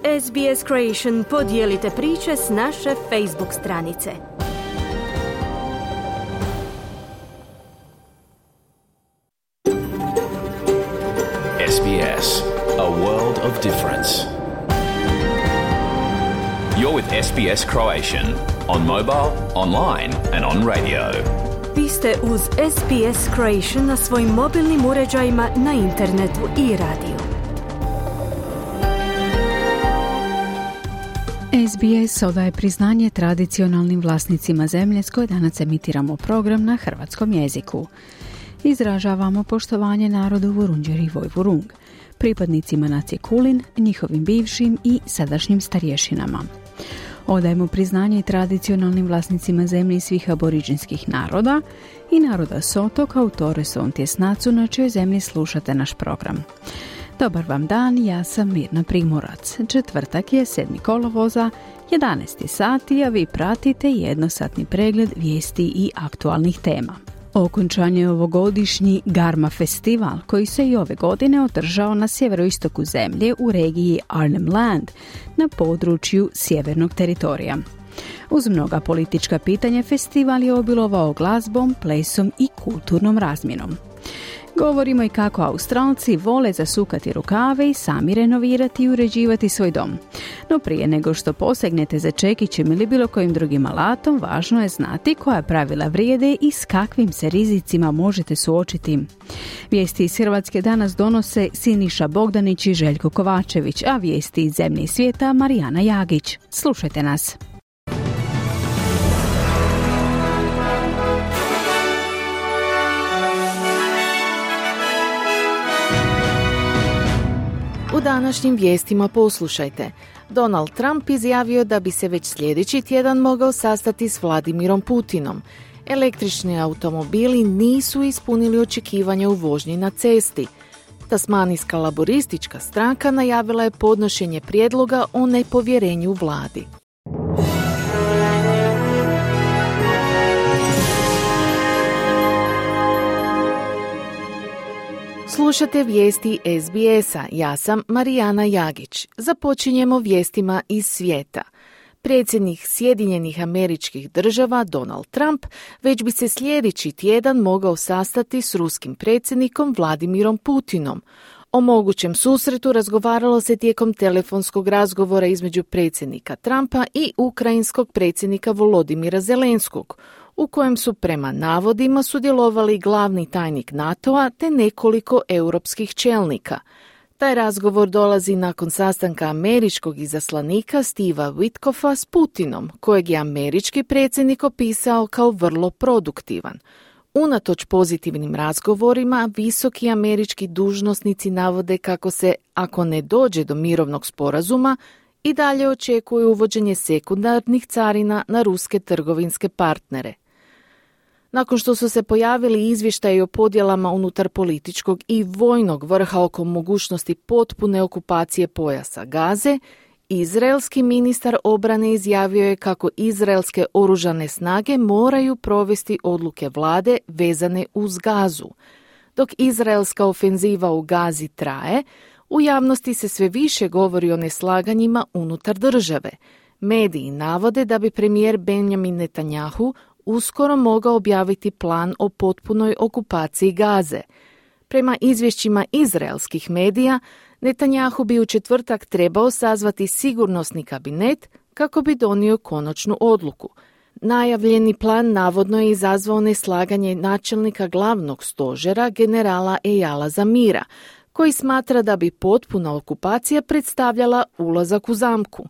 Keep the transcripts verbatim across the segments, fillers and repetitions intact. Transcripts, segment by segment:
S B S Creation podijelite priče s naše Facebook stranice. S B S, a world of difference. You're with S B S Croatian on mobile, online and on radio. Vi ste uz S B S Croatian na svojim mobilnim uređajima, na internetu i radiju. S B S odaje priznanje tradicionalnim vlasnicima zemlje s koje danas emitiramo program na hrvatskom jeziku. Izražavamo poštovanje narodu Vurundjeri i Vojvurung, pripadnicima nacije Kulin, njihovim bivšim i sadašnjim starješinama. Odajemo priznanje tradicionalnim vlasnicima zemlje svih aboriđinskih naroda i naroda Soto kao Torreson Tjesnacu na čijoj zemlji slušate naš program. Dobar vam dan, ja sam Mirna Primorac. Četvrtak je sedmi kolovoza, jedanaesti sati, a vi pratite jednosatni pregled vijesti i aktualnih tema. Okončan je ovogodišnji Garma festival koji se i ove godine održao na sjeveroistoku zemlje u regiji Arnhem Land na području sjevernog teritorija. Uz mnoga politička pitanja festival je obilovao glazbom, plesom i kulturnom razmjenom. Govorimo i kako Australci vole zasukati rukave i sami renovirati i uređivati svoj dom. No prije nego što posegnete za čekićem ili bilo kojim drugim alatom, važno je znati koja pravila vrijede i s kakvim se rizicima možete suočiti. Vijesti iz Hrvatske danas donose Siniša Bogdanić i Željko Kovačević, a vijesti iz zemlje i svijeta Marijana Jagić. Slušajte nas. U današnjim vijestima poslušajte. Donald Trump izjavio da bi se već sljedeći tjedan mogao sastati s Vladimirom Putinom. Električni automobili nisu ispunili očekivanja u vožnji na cesti. Tasmanijska laboristička stranka najavila je podnošenje prijedloga o nepovjerenju vladi. Slušate vijesti S B S-a, ja sam Marijana Jagić. Započinjemo vijestima iz svijeta. Predsjednik Sjedinjenih Američkih Država Donald Trump već bi se sljedeći tjedan mogao sastati s ruskim predsjednikom Vladimirom Putinom. O mogućem susretu razgovaralo se tijekom telefonskog razgovora između predsjednika Trumpa i ukrajinskog predsjednika Volodimira Zelenskog, u kojem su prema navodima sudjelovali glavni tajnik NATO-a te nekoliko europskih čelnika. Taj razgovor dolazi nakon sastanka američkog izaslanika Steva Witkoffa s Putinom, kojeg je američki predsjednik opisao kao vrlo produktivan. Unatoč pozitivnim razgovorima, visoki američki dužnosnici navode kako se, ako ne dođe do mirovnog sporazuma, i dalje očekuje uvođenje sekundarnih carina na ruske trgovinske partnere. Nakon što su se pojavili izvještaji o podjelama unutar političkog i vojnog vrha oko mogućnosti potpune okupacije pojasa Gaze, izraelski ministar obrane izjavio je kako izraelske oružane snage moraju provesti odluke vlade vezane uz Gazu. Dok izraelska ofenziva u Gazi traje, u javnosti se sve više govori o neslaganjima unutar države. Mediji navode da bi premijer Benjamin Netanjahu uskoro mogao objaviti plan o potpunoj okupaciji Gaze. Prema izvješćima izraelskih medija, Netanjahu bi u četvrtak trebao sazvati sigurnosni kabinet kako bi donio konačnu odluku. Najavljeni plan navodno je izazvao neslaganje načelnika glavnog stožera generala Eyala Zamira, koji smatra da bi potpuna okupacija predstavljala ulazak u zamku.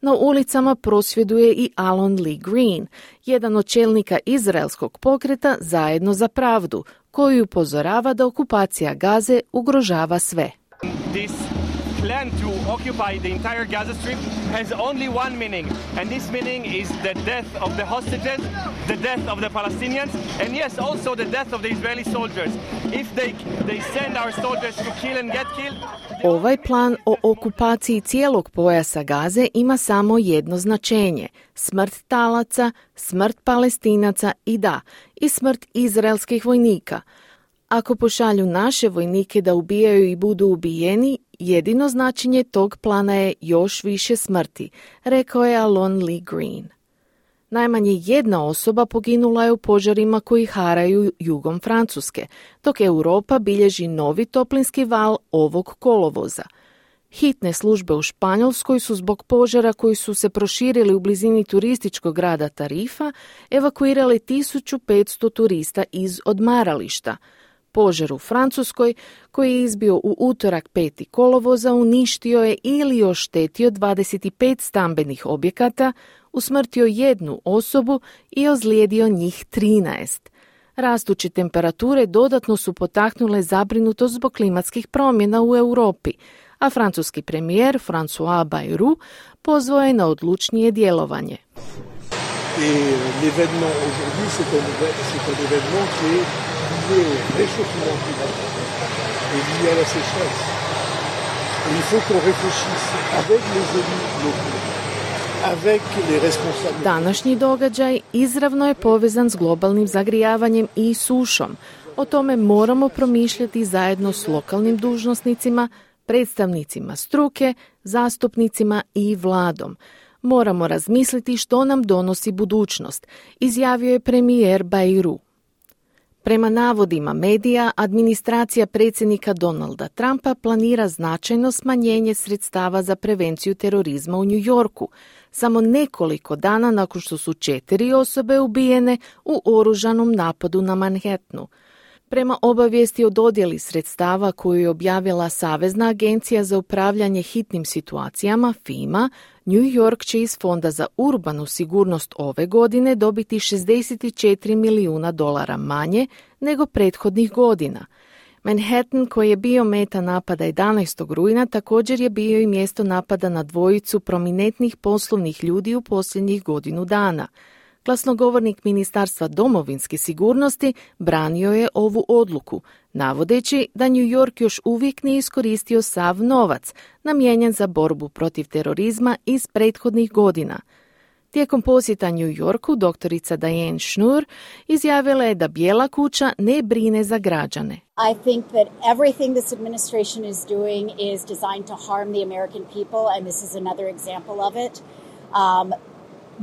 Na ulicama prosvjeduje i Alon Lee Green, jedan od čelnika izraelskog pokreta Zajedno za pravdu, koji upozorava da okupacija Gaze ugrožava sve. This plan to occupy the entire Gaza Strip has only one meaning, and this meaning is the death of the hostages, the death of the Palestinians, and yes, also the death of the Israeli soldiers. If they they send our soldiers to kill and get killed. Ovaj plan o okupaciji cijelog pojasa Gaze ima samo jedno značenje: smrt talaca, smrt Palestinaca i da, i smrt izraelskih vojnika. Ako pošalju naše vojnike da ubijaju i budu ubijeni, jedino značenje tog plana je još više smrti, rekao je Alon Lee Green. Najmanje jedna osoba poginula je u požarima koji haraju jugom Francuske, dok Europa bilježi novi toplinski val ovog kolovoza. Hitne službe u Španjolskoj su zbog požara koji su se proširili u blizini turističkog grada Tarifa evakuirali tisuću petsto turista iz odmarališta. Požar u Francuskoj, koji je izbio u utorak peti kolovoza, uništio je ili oštetio dvadeset pet stambenih objekata, usmrtio jednu osobu i ozlijedio njih trinaest. Rastuće temperature dodatno su potaknule zabrinutost zbog klimatskih promjena u Europi, a francuski premijer François Bayrou pozvao je na odlučnije djelovanje. Et l'événement aujourd'hui, c'est un, c'est un événement qui est lié au réchauffement climatique et lié à la sécheresse. Et il faut qu'on réfléchisse avec les élus locaux, avec les responsables. Današnji događaj izravno je povezan s globalnim zagrijavanjem i sušom. O tome moramo promišljati zajedno s lokalnim dužnosnicima, predstavnicima struke, zastupnicima i vladom. Moramo razmisliti što nam donosi budućnost, izjavio je premijer Bayrou. Prema navodima medija, administracija predsjednika Donalda Trumpa planira značajno smanjenje sredstava za prevenciju terorizma u New Yorku, samo nekoliko dana nakon što su četiri osobe ubijene u oružanom napadu na Manhattanu. Prema obavijesti o dodjeli sredstava koju je objavila Savezna agencija za upravljanje hitnim situacijama FEMA, New York će iz Fonda za urbanu sigurnost ove godine dobiti šezdeset četiri milijuna dolara manje nego prethodnih godina. Manhattan, koji je bio meta napada jedanaestog rujna, također je bio i mjesto napada na dvojicu prominentnih poslovnih ljudi u posljednjih godinu dana. Glasnogovornik Ministarstva domovinske sigurnosti branio je ovu odluku, navodeći da New York još uvijek nije iskoristio sav novac namijenjen za borbu protiv terorizma iz prethodnih godina. Tijekom posjeta New Yorku doktorica Diane Schnur izjavila je da Bijela kuća ne brine za građane. I think that everything this administration is doing is designed to harm the American people, and this is another example of it. Um,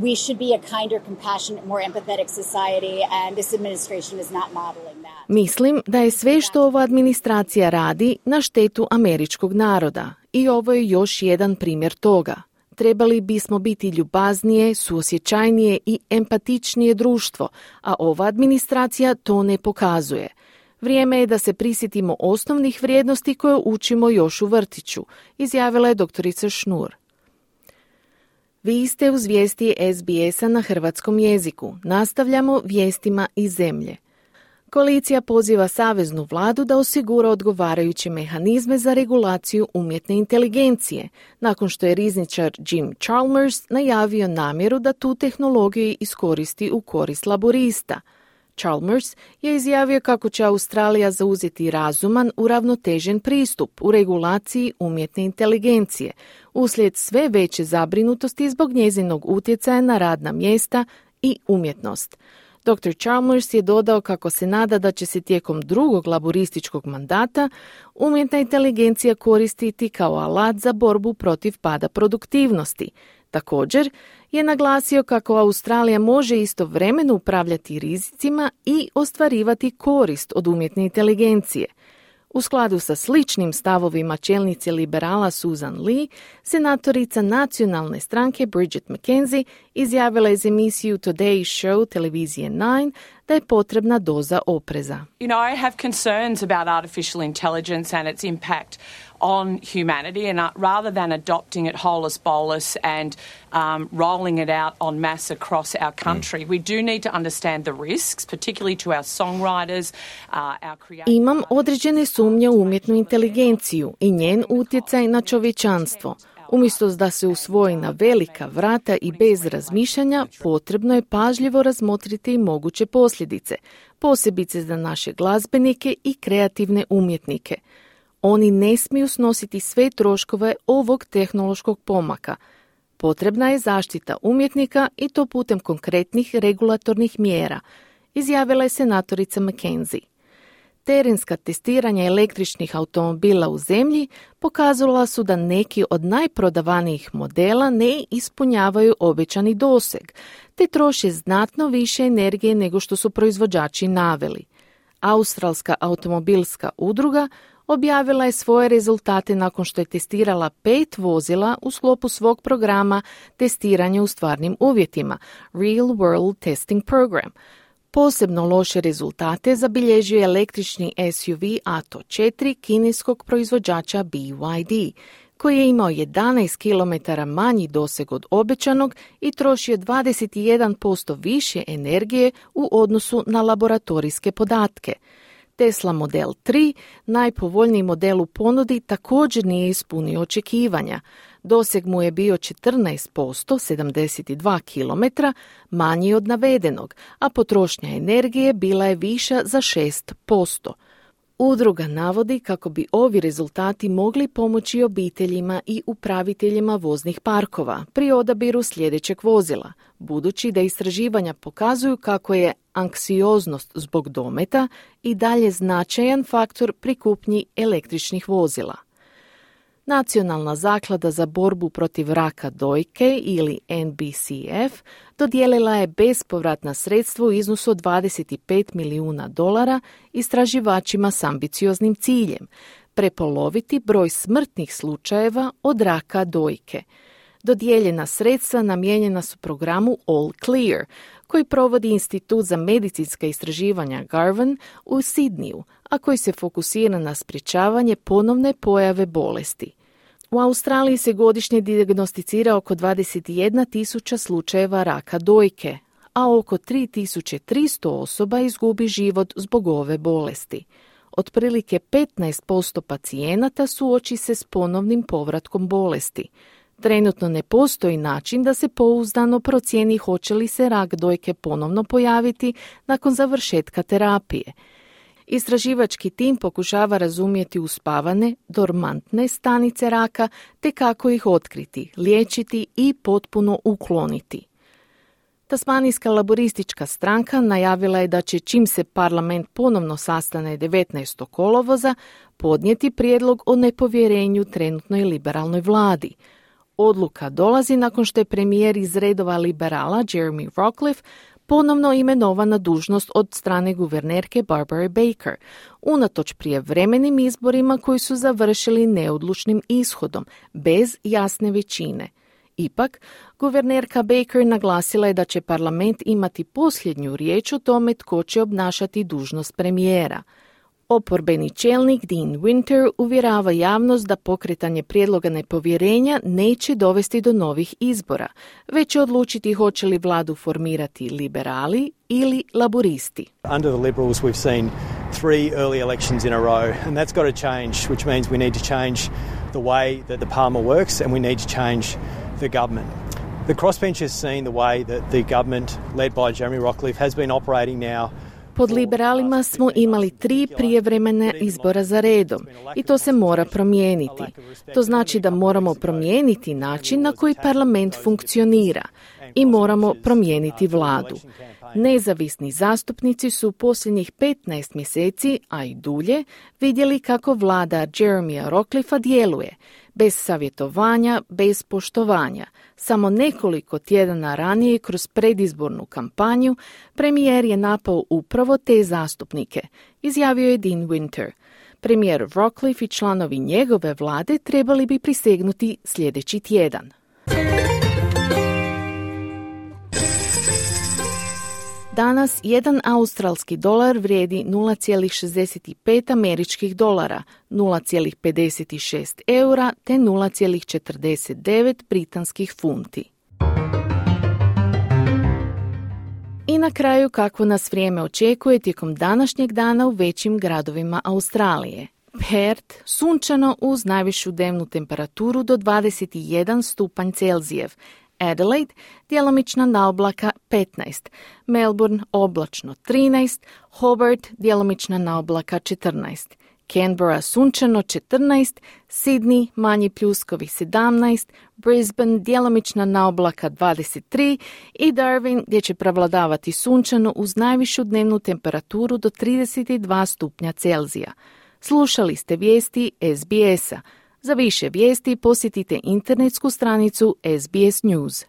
We should be a kinder, compassionate, more empathetic society, and this administration is not modeling that. Mislim da je sve što ova administracija radi na štetu američkog naroda i ovo je još jedan primjer toga. Trebali bismo biti ljubaznije, suosjećajnije i empatičnije društvo, a ova administracija to ne pokazuje. Vrijeme je da se prisjetimo osnovnih vrijednosti koje učimo još u vrtiću, izjavila je doktorica Schnur. Vi ste uz vijesti S B S-a na hrvatskom jeziku. Nastavljamo vijestima iz zemlje. Koalicija poziva saveznu vladu da osigura odgovarajuće mehanizme za regulaciju umjetne inteligencije, nakon što je rizničar Jim Chalmers najavio namjeru da tu tehnologiju iskoristi u korist laborista. Chalmers je izjavio kako će Australija zauzeti razuman, uravnotežen pristup u regulaciji umjetne inteligencije, uslijed sve veće zabrinutosti zbog njezinog utjecaja na radna mjesta i umjetnost. doktor Chalmers je dodao kako se nada da će se tijekom drugog laborističkog mandata umjetna inteligencija koristiti kao alat za borbu protiv pada produktivnosti. Također je naglasio kako Australija može istovremeno upravljati rizicima i ostvarivati korist od umjetne inteligencije. U skladu sa sličnim stavovima čelnice liberala Susan Lee, senatorica nacionalne stranke Bridget McKenzie izjavila je za emisiju Today's Show televizije nine da je potrebna doza opreza. You know, I have concerns about artificial intelligence and its impact on humanity, and uh, rather than adopting it holus bolus and um, rolling it out en masse across our country, mm. we do need to understand the risks, particularly to our songwriters, uh, our creators. Imam određene sumnje u umjetnu inteligenciju i njen utjecaj na čovječanstvo. Umjesto da se usvoji na velika vrata i bez razmišljanja, potrebno je pažljivo razmotriti i moguće posljedice, posebice za naše glazbenike i kreativne umjetnike. Oni ne smiju snositi sve troškove ovog tehnološkog pomaka. Potrebna je zaštita umjetnika i to putem konkretnih regulatornih mjera, izjavila je senatorica McKenzie. Terenska testiranja električnih automobila u zemlji pokazala su da neki od najprodavanijih modela ne ispunjavaju obećani doseg, te troše znatno više energije nego što su proizvođači naveli. Australska automobilska udruga objavila je svoje rezultate nakon što je testirala pet vozila u sklopu svog programa testiranja u stvarnim uvjetima, Real World Testing Program. Posebno loše rezultate zabilježio je električni S U V A T O četiri kineskog proizvođača B Y D, koji je imao jedanaest kilometara manji doseg od obećanog i trošio dvadeset jedan posto više energije u odnosu na laboratorijske podatke. Tesla Model tri, najpovoljniji model u ponudi, također nije ispunio očekivanja. Doseg mu je bio četrnaest posto, sedamdeset dva kilometra, manji od navedenog, a potrošnja energije bila je viša za šest posto. Udruga navodi kako bi ovi rezultati mogli pomoći obiteljima i upraviteljima voznih parkova pri odabiru sljedećeg vozila, budući da istraživanja pokazuju kako je anksioznost zbog dometa i dalje značajan faktor pri kupnji električnih vozila. Nacionalna zaklada za borbu protiv raka dojke ili N B C F dodijelila je bespovratna sredstva u iznosu od dvadeset pet milijuna dolara istraživačima s ambicioznim ciljem prepoloviti broj smrtnih slučajeva od raka dojke. Dodijeljena sredstva namijenjena su programu All Clear, koji provodi Institut za medicinska istraživanja Garvan u Sidniju, a koji se fokusira na sprječavanje ponovne pojave bolesti. U Australiji se godišnje dijagnosticira oko dvadeset jedna tisuća slučajeva raka dojke, a oko tri tisuće tristo osoba izgubi život zbog ove bolesti. Otprilike petnaest posto pacijenata suoči se s ponovnim povratkom bolesti. Trenutno ne postoji način da se pouzdano procijeni hoće li se rak dojke ponovno pojaviti nakon završetka terapije. Istraživački tim pokušava razumjeti uspavane, dormantne stanice raka te kako ih otkriti, liječiti i potpuno ukloniti. Tasmanijska laboristička stranka najavila je da će, čim se parlament ponovno sastane devetnaestog kolovoza, podnijeti prijedlog o nepovjerenju trenutnoj liberalnoj vladi. Odluka dolazi nakon što je premijer iz redova liberala Jeremy Rockliff ponovno imenovan na dužnost od strane guvernerke Barbara Baker, unatoč prijevremenim izborima koji su završili neodlučnim ishodom, bez jasne većine. Ipak, guvernerka Baker naglasila je da će parlament imati posljednju riječ o tome tko će obnašati dužnost premijera. Oporbeni čelnik Dean Winter uvjerava javnost da pokretanje prijedloga nepovjerenja neće dovesti do novih izbora, već će odlučiti hoće li vladu formirati liberali ili laburisti. Under the Liberals we've seen three early elections in a row and that's got to change, which means we need to change the way that the parliament works and we need to change the government. The crossbench has seen the way that the government led by Jeremy Rockliff has been operating now. Pod liberalima smo imali tri prijevremene izbora za redom i to se mora promijeniti. To znači da moramo promijeniti način na koji parlament funkcionira i moramo promijeniti vladu. Nezavisni zastupnici su posljednjih petnaest mjeseci, a i dulje, vidjeli kako vlada Jeremya Rockliffa djeluje, bez savjetovanja, bez poštovanja. Samo nekoliko tjedana ranije kroz predizbornu kampanju premijer je napao upravo te zastupnike, izjavio je Dean Winter. Premijer Rockliff i članovi njegove vlade trebali bi prisegnuti sljedeći tjedan. Danas jedan australski dolar vrijedi nula zarez šezdeset pet američkih dolara, nula zarez pedeset šest eura te nula zarez četrdeset devet britanskih funti. I na kraju kako nas vrijeme očekuje tijekom današnjeg dana u većim gradovima Australije. Perth, sunčano uz najvišu dnevnu temperaturu do dvadeset jedan stupanj Celzijev. Adelaide, djelomična naoblaka petnaest, Melbourne oblačno trinaest, Hobart, djelomična naoblaka četrnaest, Canberra sunčano četrnaest, Sydney manji pljuskovi sedamnaest, Brisbane djelomična naoblaka dvadeset tri i Darwin gdje će prevladavati sunčano uz najvišu dnevnu temperaturu do trideset dva stupnja Celzija. Slušali ste vijesti S B S-a. Za više vijesti posjetite internetsku stranicu S B S News.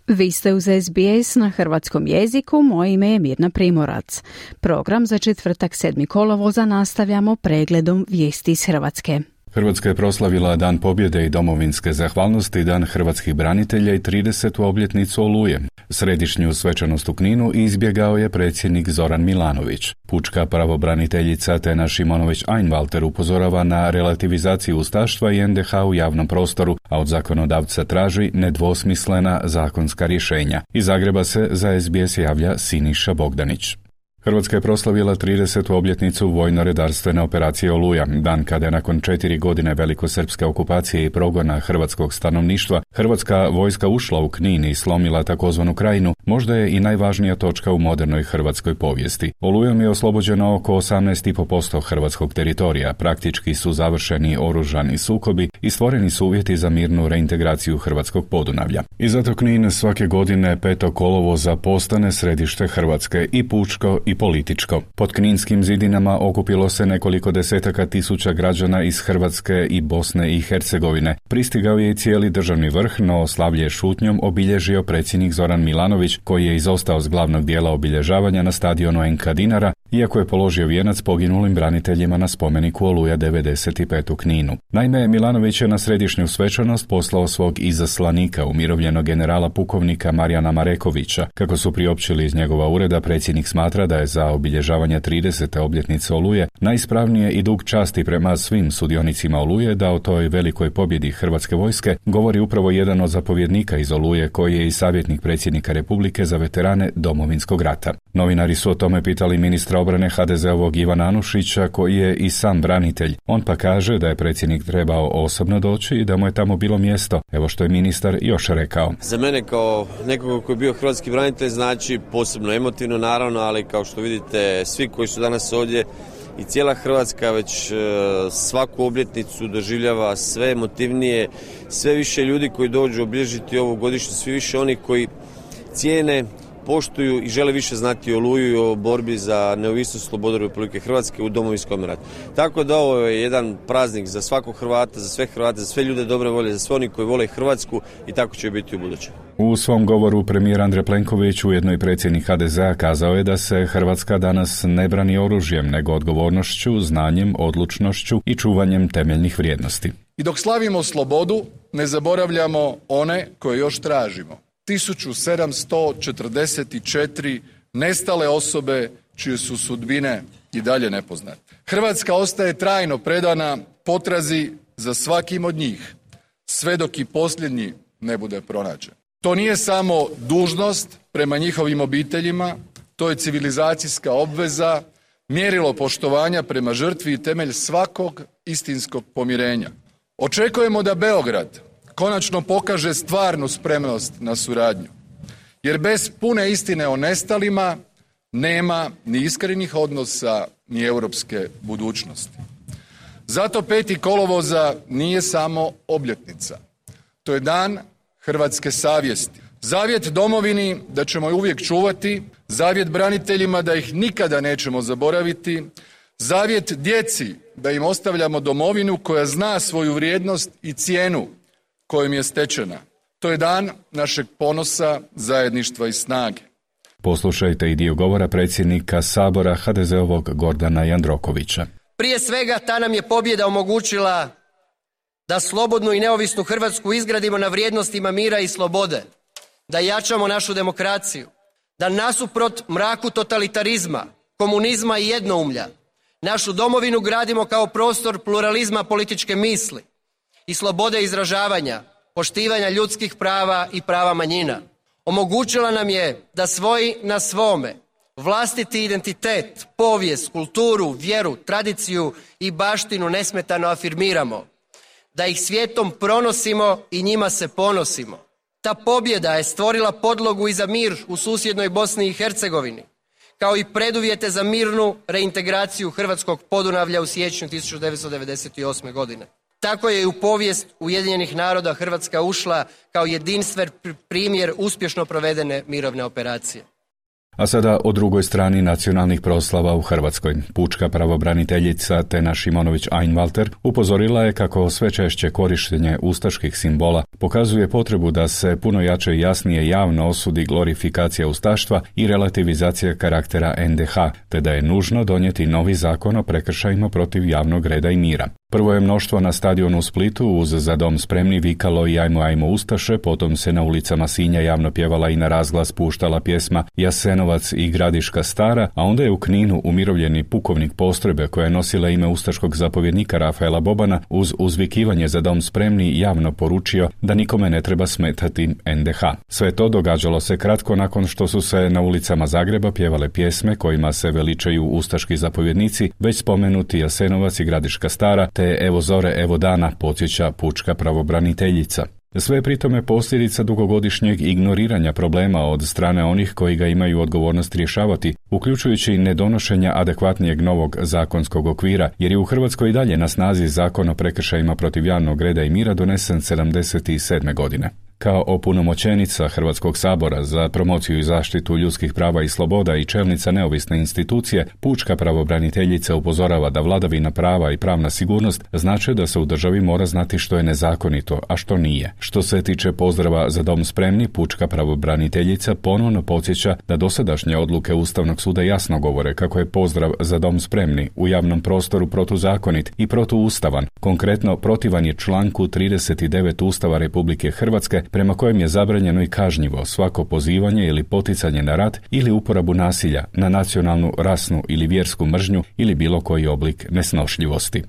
Vi ste uz S B S na hrvatskom jeziku, moje ime je Mirna Primorac. Program za četvrtak sedmog kolovoza nastavljamo pregledom vijesti iz Hrvatske. Hrvatska je proslavila Dan pobjede i domovinske zahvalnosti, Dan hrvatskih branitelja i tridesetu obljetnicu Oluje. Središnju svečanost u Kninu izbjegao je predsjednik Zoran Milanović. Pučka pravobraniteljica Tena Šimonović-Einwalter upozorava na relativizaciju ustaštva i N D H u javnom prostoru, a od zakonodavca traži nedvosmislena zakonska rješenja. Iz Zagreba se za S B S javlja Siniša Bogdanić. Hrvatska je proslavila tridesetu obljetnicu vojno-redarstvene operacije Oluja, dan kada je nakon četiri godine velikosrpske okupacije i progona hrvatskog stanovništva hrvatska vojska ušla u Knin i slomila takozvanu Krajinu, možda je i najvažnija točka u modernoj hrvatskoj povijesti. Olujom je oslobođeno oko osamnaest zarez pet posto hrvatskog teritorija, praktički su završeni oružani sukobi i stvoreni su uvjeti za mirnu reintegraciju hrvatskog Podunavlja. I zato Knin svake godine petog kolovoza postane središte Hrvatske i pučko i političko. Pod kninskim zidinama okupilo se nekoliko desetaka tisuća građana iz Hrvatske i Bosne i Hercegovine. Pristigao je i cijeli državni vrh, no slavlje šutnjom obilježio predsjednik Zoran Milanović, koji je izostao s glavnog dijela obilježavanja na stadionu N K Dinara, iako je položio vijenac poginulim braniteljima na spomeniku Oluja devedeset pet u Kninu. Naime, Milanović je na središnju svečanost poslao svog izaslanika, umirovljenog generala pukovnika Marijana Marekovića. Kako su priopćili iz njegova ureda, predsjednik smatra da je za obilježavanje tridesete obljetnice Oluje najispravnije i dug časti prema svim sudionicima Oluje da o toj velikoj pobjedi hrvatske vojske govori upravo jedan od zapovjednika iz Oluje, koji je i savjetnik predsjednika Republike za veterane Domovinskog rata. Novinari su o tome pitali ministra obrane H D Z-ovog Ivana Anušića, koji je i sam branitelj. On pa kaže da je predsjednik trebao osobno doći i da mu je tamo bilo mjesto. Evo što je ministar još rekao. Za mene kao nekog koji je bio hrvatski branitelj znači posebno emotivno, naravno, ali kao što vidite svi koji su danas ovdje i cijela Hrvatska već svaku obljetnicu doživljava sve emotivnije, sve više ljudi koji dođu obilježiti ovu godišnju, svi više oni koji cijene, poštuju i žele više znati o Oluju i o borbi za neovisnost i slobodu Republike Hrvatske u Domovinskom ratu. Tako da ovo je jedan praznik za svakog Hrvata, za sve Hrvate, za sve ljude dobre volje, za sve oni koji vole Hrvatsku i tako će biti u buduće. U svom govoru premijer Andrej Plenković, ujedno i predsjednik H D Z-a, kazao je da se Hrvatska danas ne brani oružjem, nego odgovornošću, znanjem, odlučnošću i čuvanjem temeljnih vrijednosti. I dok slavimo slobodu, ne zaboravljamo one koje još tražimo. tisuću sedamsto četrdeset četiri nestale osobe čije su sudbine i dalje nepoznate. Hrvatska ostaje trajno predana potrazi za svakim od njih, sve dok i posljednji ne bude pronađen. To nije samo dužnost prema njihovim obiteljima, to je civilizacijska obveza, mjerilo poštovanja prema žrtvi i temelj svakog istinskog pomirenja. Očekujemo da Beograd konačno pokaže stvarnu spremnost na suradnju, jer bez pune istine o nestalima nema ni iskrenih odnosa ni europske budućnosti. Zato peti kolovoza nije samo obljetnica. To je dan hrvatske savjesti. Zavjet domovini da ćemo je uvijek čuvati, zavjet braniteljima da ih nikada nećemo zaboraviti, zavjet djeci da im ostavljamo domovinu koja zna svoju vrijednost i cijenu kojim je stečena. To je dan našeg ponosa, zajedništva i snage. Poslušajte i dio govora predsjednika Sabora H D Z-ovog Gordana Jandrokovića. Prije svega ta nam je pobjeda omogućila da slobodnu i neovisnu Hrvatsku izgradimo na vrijednostima mira i slobode, da jačamo našu demokraciju, da nasuprot mraku totalitarizma, komunizma i jednoumlja našu domovinu gradimo kao prostor pluralizma političke misli i slobode izražavanja, poštivanja ljudskih prava i prava manjina. Omogućila nam je da svoji na svome vlastiti identitet, povijest, kulturu, vjeru, tradiciju i baštinu nesmetano afirmiramo, da ih svijetom pronosimo i njima se ponosimo. Ta pobjeda je stvorila podlogu i za mir u susjednoj Bosni i Hercegovini, kao i preduvjete za mirnu reintegraciju hrvatskog Podunavlja u siječnju tisuću devetsto devedeset osme. godine. Tako je i u povijest Ujedinjenih naroda Hrvatska ušla kao jedinstven primjer uspješno provedene mirovne operacije. A sada o drugoj strani nacionalnih proslava u Hrvatskoj. Pučka pravobraniteljica Tena Šimonović-Einwalter upozorila je kako sve češće korištenje ustaških simbola pokazuje potrebu da se puno jače i jasnije javno osudi glorifikacija ustaštva i relativizacija karaktera en de ha, te da je nužno donijeti novi zakon o prekršajima protiv javnog reda i mira. Prvo je mnoštvo na stadionu u Splitu uz Za dom spremni vikalo i ajmo ajmo ustaše, potom se na ulicama Sinja javno pjevala i na razglas puštala pjesma Jasenovac i Gradiška stara, a onda je u Kninu umirovljeni pukovnik postrojbe koja je nosila ime ustaškog zapovjednika Rafaela Bobana uz uzvikivanje Za dom spremni javno poručio da nikome ne treba smetati en de ha. Sve to događalo se kratko nakon što su se na ulicama Zagreba pjevale pjesme kojima se veličaju ustaški zapovjednici, već spomenuti Jasenovac i Gradiška stara, te Evo zore, evo dana, podsjeća pučka pravobraniteljica. Sve je pritome posljedica dugogodišnjeg ignoriranja problema od strane onih koji ga imaju odgovornost rješavati, uključujući nedonošenja adekvatnijeg novog zakonskog okvira, jer je u Hrvatskoj i dalje na snazi Zakon o prekršajima protiv javnog reda i mira donesen sedamdeset sedme. godine. Kao opunomoćenica Hrvatskog sabora za promociju i zaštitu ljudskih prava i sloboda i čelnica neovisne institucije, pučka pravobraniteljica upozorava da vladavina prava i pravna sigurnost znače da se u državi mora znati što je nezakonito, a što nije. Što se tiče pozdrava Za dom spremni, pučka pravobraniteljica ponovno podsjeća da dosadašnje odluke Ustavnog suda jasno govore kako je pozdrav Za dom spremni u javnom prostoru protuzakonit i protuustavan. Konkretno, protivan je članku trideset devet Ustava Republike Hrvatske, prema kojem je zabranjeno i kažnjivo svako pozivanje ili poticanje na rat ili uporabu nasilja na nacionalnu, rasnu ili vjersku mržnju ili bilo koji oblik nesnošljivosti.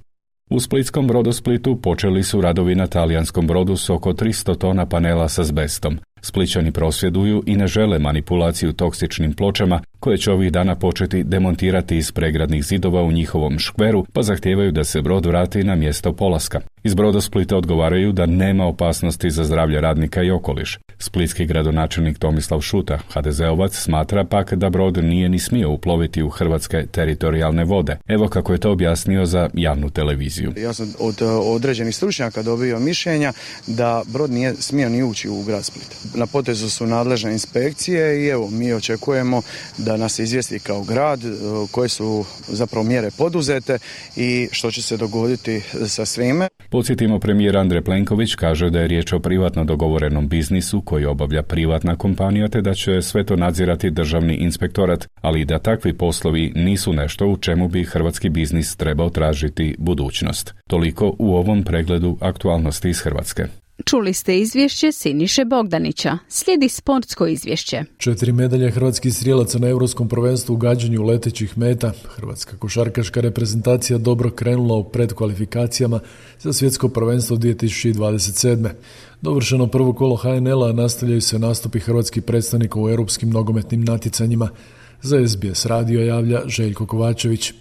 U splitskom Brodosplitu počeli su radovi na talijanskom brodu s oko tristo tona panela s azbestom. Splićani prosvjeduju i ne žele manipulaciju toksičnim pločama koje će ovih dana početi demontirati iz pregradnih zidova u njihovom škveru, pa zahtijevaju da se brod vrati na mjesto polaska. Iz Brodosplita odgovaraju da nema opasnosti za zdravlje radnika i okoliš. Splitski gradonačelnik Tomislav Šuta, ha de zeovac, smatra pak da brod nije ni smio uploviti u hrvatske teritorijalne vode. Evo kako je to objasnio za javnu televiziju. Ja sam od određenih stručnjaka dobio mišljenja da brod nije smio ni ući u grad Split. Na potezu su nadležne inspekcije i evo mi očekujemo da nas izvijesti kao grad koje su zapravo mjere poduzete i što će se dogoditi sa svime. Podsjetimo, premijer Andrej Plenković kaže da je riječ o privatno dogovorenom biznisu koji obavlja privatna kompanija, te da će sve to nadzirati državni inspektorat, ali i da takvi poslovi nisu nešto u čemu bi hrvatski biznis trebao tražiti budućnost. Toliko u ovom pregledu aktualnosti iz Hrvatske. Čuli ste izvješće Siniše Bogdanića. Slijedi sportsko izvješće. Četiri medalje hrvatskih strijelaca na Europskom prvenstvu u gađanju letećih meta. Hrvatska košarkaška reprezentacija dobro krenula u predkvalifikacijama za svjetsko prvenstvo dvije tisuće dvadeset sedme. Dovršeno prvo kolo ha en el-a, nastavljaju se nastupi hrvatskih predstavnika u europskim nogometnim natjecanjima. Za es be es radio javlja Željko Kovačević.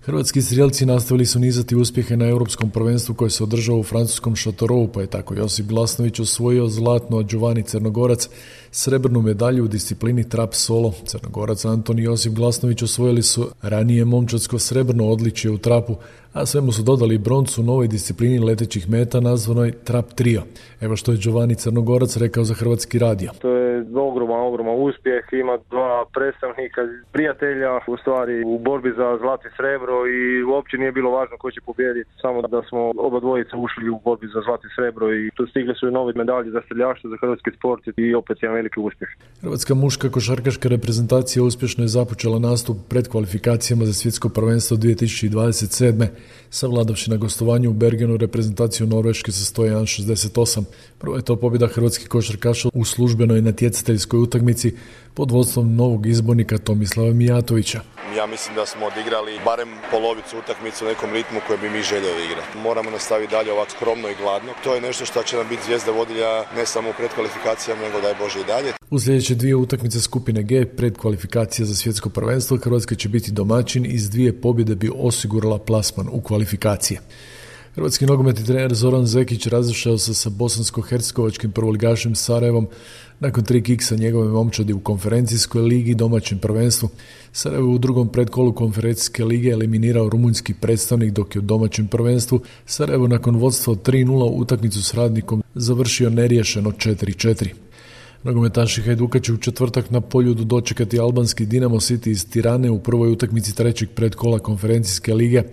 Hrvatski strijelci nastavili su nizati uspjehe na Europskom prvenstvu koje se održao u francuskom Châteauroux, pa je tako Josip Glasnović osvojio zlatno, a Giovanni Crnogorac srebrnu medalju u disciplini trap solo. Crnogorac Antoni i Josip Glasnović osvojili su ranije momčadsko srebrno odličje u trapu, a svemu su dodali broncu u novoj disciplini letećih meta nazvanoj trap trio. Evo što je Giovanni Crnogorac rekao za Hrvatski radio. To je ogroman, ogroman uspjeh, ima dva predstavnika, prijatelja u stvari u borbi za zlato i srebro i uopće nije bilo važno ko će pobijediti, samo da smo oba dvojica ušli u borbi za zlato i srebro i tu stigli su i nove medalje za streljaštvo, za hrvatski sport i opet jedan veliki uspjeh. Hrvatska muška košarkaška reprezentacija uspješno je započela nastup pred kvalifikacijama za svjetsko prvenstvo dvije tisuće dvadeset sedme. Savladavši na gostovanju u Bergenu reprezentaciju Norveške sa sto jedan šezdeset osam. Prvo je to pobjeda hrvatskih košarkaša u službenoj natjecateljskoj utakmici pod vodstvom novog izbornika Tomislava Mijatovića. Ja mislim da smo odigrali barem polovicu utakmice u nekom ritmu koje bi mi željeli igrati. Moramo nastaviti dalje ovako skromno i gladno. To je nešto što će nam biti zvijezda vodilja ne samo u predkvalifikacijama, nego daj Bože i dalje. U sljedeće dvije utakmice skupine G predkvalifikacija za svjetsko prvenstvo Hrvatska će biti domaćin i s dvije pobjede bi osigurala plasman u kvalifikacije. Hrvatski nogometni trener Zoran Zekić razišao se sa bosansko-hercegovačkim prvoligašem Sarajevom nakon tri kiksa njegove momčadi u konferencijskoj ligi i domaćem prvenstvu. Sarajevo u drugom predkolu konferencijske lige eliminirao rumunjski predstavnik, dok je u domaćem prvenstvu Sarajevo nakon vodstva od tri nula utakmicu s Radnikom završio neriješeno četiri četiri. Nogometaši Hajduka će u četvrtak na Poljudu dočekati albanski Dinamo City iz Tirane u prvoj utakmici trećeg predkola konferencijske lige.